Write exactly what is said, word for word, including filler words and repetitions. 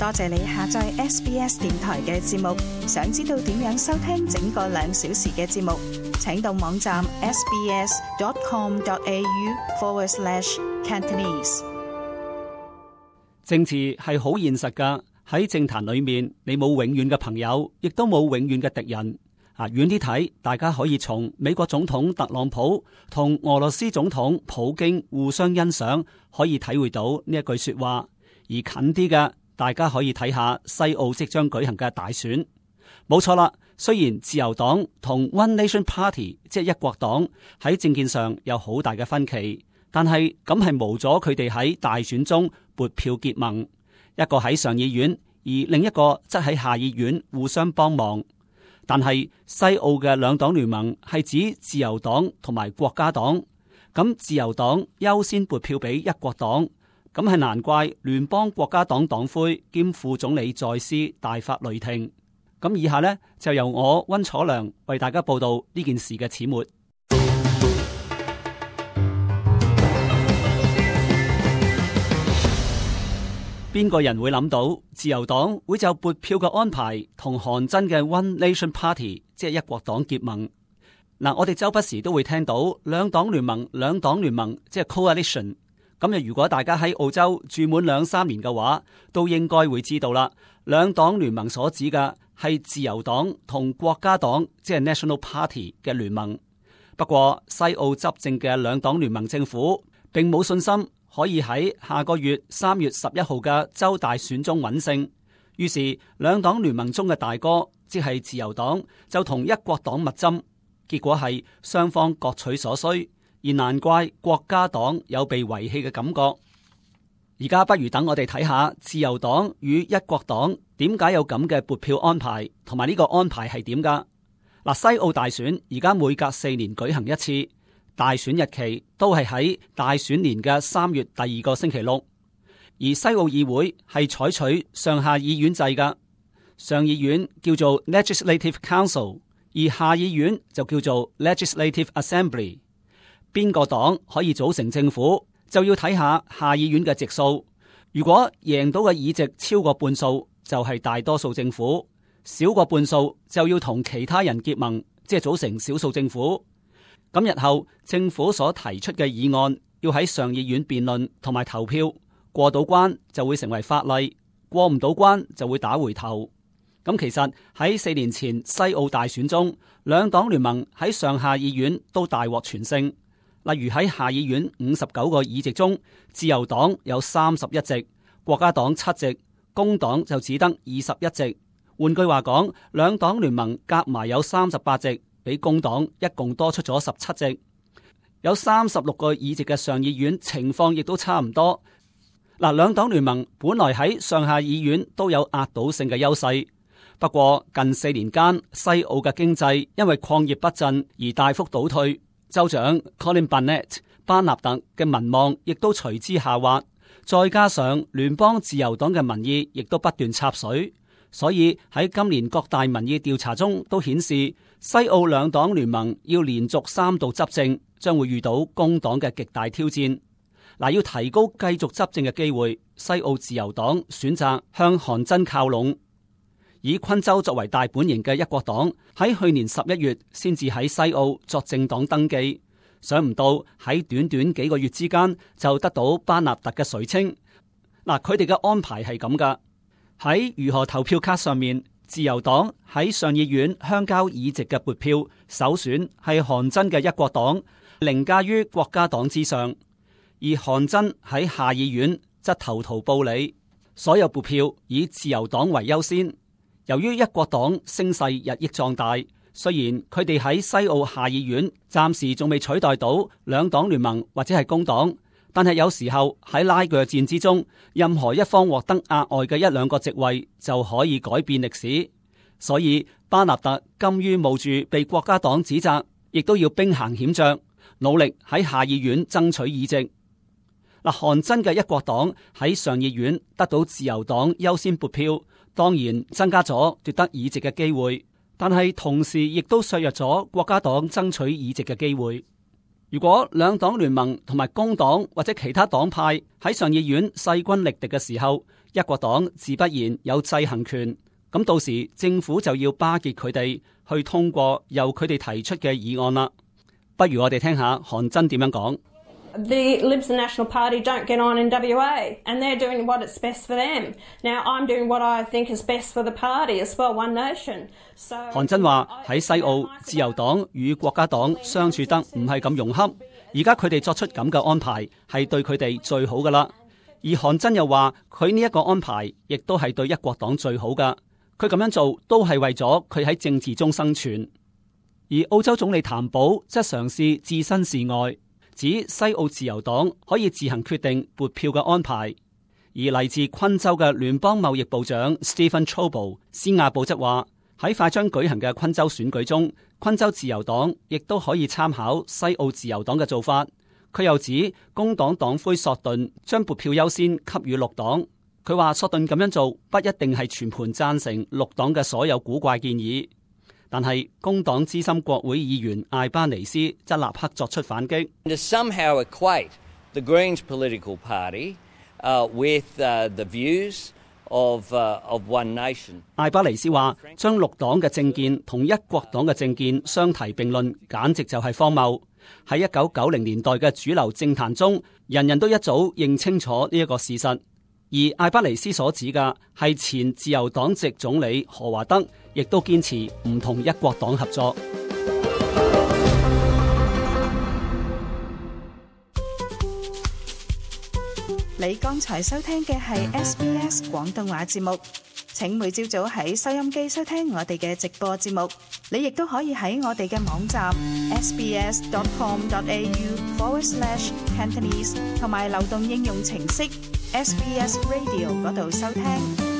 多謝你下載 S B S 電台嘅節目。想知道點樣收聽整個兩小時嘅節目，請到網站 sbs.com.au forward slash Cantonese。政治係好現實㗎，喺政壇裏面，你冇永遠嘅朋友，亦都冇永遠嘅敵人。啊，遠啲睇，大家可以從美國總統特朗普同俄羅斯總統普京互相欣賞，可以體會到呢一句說話。而近啲嘅，大家可以睇下西澳即將舉行嘅大選。冇錯啦，雖然自由黨同 One Nation Party 即係一國黨喺政見上有好大嘅分歧，但係咁係無阻佢哋喺大選中撥票結盟，一個喺上議院，而另一個則喺下議院互相幫忙。但係西澳嘅兩黨聯盟係指自由黨同埋國家黨，咁自由黨優先撥票俾一國黨，咁係難怪聯邦國家黨黨魁兼副總理在斯大發雷霆。咁以下呢，就由我溫楚良為大家報道呢件事嘅始末。邊個人會諗到自由黨會就撥票嘅安排同韓真嘅 One Nation Party 即係一國黨結盟？嗱，我哋周不時都會聽到兩黨聯盟、兩黨聯盟即係 coalition。咁又如果大家喺澳洲住滿兩三年嘅話，都應該會知道啦。兩黨聯盟所指嘅係自由黨同國家黨即係 National Party 嘅聯盟。不過西澳執政嘅兩黨聯盟政府並冇信心可以喺下個月三月十一號嘅州大選中穩勝，於是兩黨聯盟中嘅大哥，即係自由黨，就同一國黨密針，結果係雙方各取所需，而難怪國家黨有被遺棄嘅感覺。而家不如等我哋睇下自由黨與一國黨點解有咁嘅撥票安排，同埋呢個安排係點噶？嗱，西澳大選而家每隔四年舉行一次。大選日期都係喺大選年嘅三月第二個星期六，而西澳議會係採取上下議院制㗎，上議院叫做 Legislative Council， 而下議院就叫做 Legislative Assembly。邊個黨可以組成政府，就要睇下下議院嘅席數。如果贏到嘅議席超過半數，就係大多數政府；少過半數，就要同其他人結盟，即係組成少數政府。咁日後政府所提出嘅議案要喺上議院辯論同埋投票，過到關就會成為法例，過唔到關就會打回頭。咁其實喺四年前西澳大選中，兩黨聯盟喺上下議院都大獲全勝。例如喺下議院五十九個議席中，自由黨有三十一席，國家黨七席，工黨就只得二十一席。換句話講，兩黨聯盟夾埋有三十八席。比工黨一共多出咗十七席，有三十六個議席嘅上議院情況亦都差唔多。嗱，兩黨聯盟本來喺上下議院都有壓倒性嘅優勢，不過近四年間西澳嘅經濟因為礦業不振而大幅倒退，州長 Colin Barnett 班納特嘅民望亦都隨之下滑，再加上聯邦自由黨嘅民意亦都不斷插水。所以喺今年各大民意調查中都顯示，西澳兩黨聯盟要連續三度執政，將會遇到工黨嘅極大挑戰。嗱，要提高繼續執政嘅機會，西澳自由黨選擇向韓真靠攏。以昆州作為大本營嘅一國黨喺去年十一月先至喺西澳作政黨登記，想唔到喺短短幾個月之間就得到班納特嘅垂青。嗱，佢哋嘅安排係咁噶。喺如何投票卡上面，自由黨喺上議院鄉郊議席嘅撥票首選係韓真嘅一國黨，凌駕於國家黨之上；而韓真喺下議院則投桃報李，所有撥票以自由黨為優先。由於一國黨聲勢日益壯大，雖然佢哋喺西澳下議院暫時仲未取代到兩黨聯盟或者係工黨。但係有時候喺拉鋸戰之中，任何一方獲得額外嘅一兩個席位就可以改變歷史。所以巴納特甘於冒住被國家黨指責，亦都要兵行險着，努力喺下議院爭取議席。嗱，韓真嘅一國黨喺上議院得到自由黨優先撥票，當然增加咗奪得議席嘅機會，但係同時亦都削弱咗國家黨爭取議席嘅機會。如果兩黨聯盟同埋工黨或者其他黨派喺上議院勢均力敵嘅時候，一國黨自不然有制衡權，咁到時政府就要巴結佢哋去通過由佢哋提出嘅議案啦。不如我哋聽下韓真點樣講。The Libs and National Party don't get on in W A, and they're doing what is best for them. Now I'm doing what I think is best for the party as well, One Nation. So 韓真話喺西澳，自由黨與國家黨相處得唔係咁融洽，而家佢哋作出咁嘅安排係對佢哋最好噶啦。而韓真又話佢呢一個安排亦都係對一國黨最好噶，佢咁樣做都係為咗佢喺政治中生存。而澳洲總理譚寶則嘗試置身事外，指西澳自由黨可以自行決定撥票嘅安排。而嚟自昆州嘅聯邦貿易部長 Stephen Chabot 斯亞布則話喺快將舉行嘅昆州選舉中，昆州自由黨亦都可以參考西澳自由黨嘅做法。佢又指工黨黨魁索頓將撥票優先給予綠黨。佢話索頓咁樣做不一定係全盤贊成綠黨嘅所有古怪建議。但係工黨資深國會議員艾巴尼斯則立刻作出反擊。To somehow equate the Greens political party, uh, with, uh, the views of, uh, of One Nation. 艾巴尼斯話將綠黨嘅政見同一國黨嘅政見相提並論，簡直就係荒謬。喺一九九零年代嘅主流政壇中，人人都一早認清楚呢一個事實。而艾巴尼斯所指嘅係前自由黨籍總理何華德，亦都堅持唔同一國黨合作。你剛才收聽嘅係 S B S 廣東話節目，請每朝早喺收音機收聽我哋嘅直播節目。你亦都可以喺我哋嘅網站 s b s dot com dot a u forward slash cantonese 同埋流動應用程式 S B S Radio 嗰度收聽。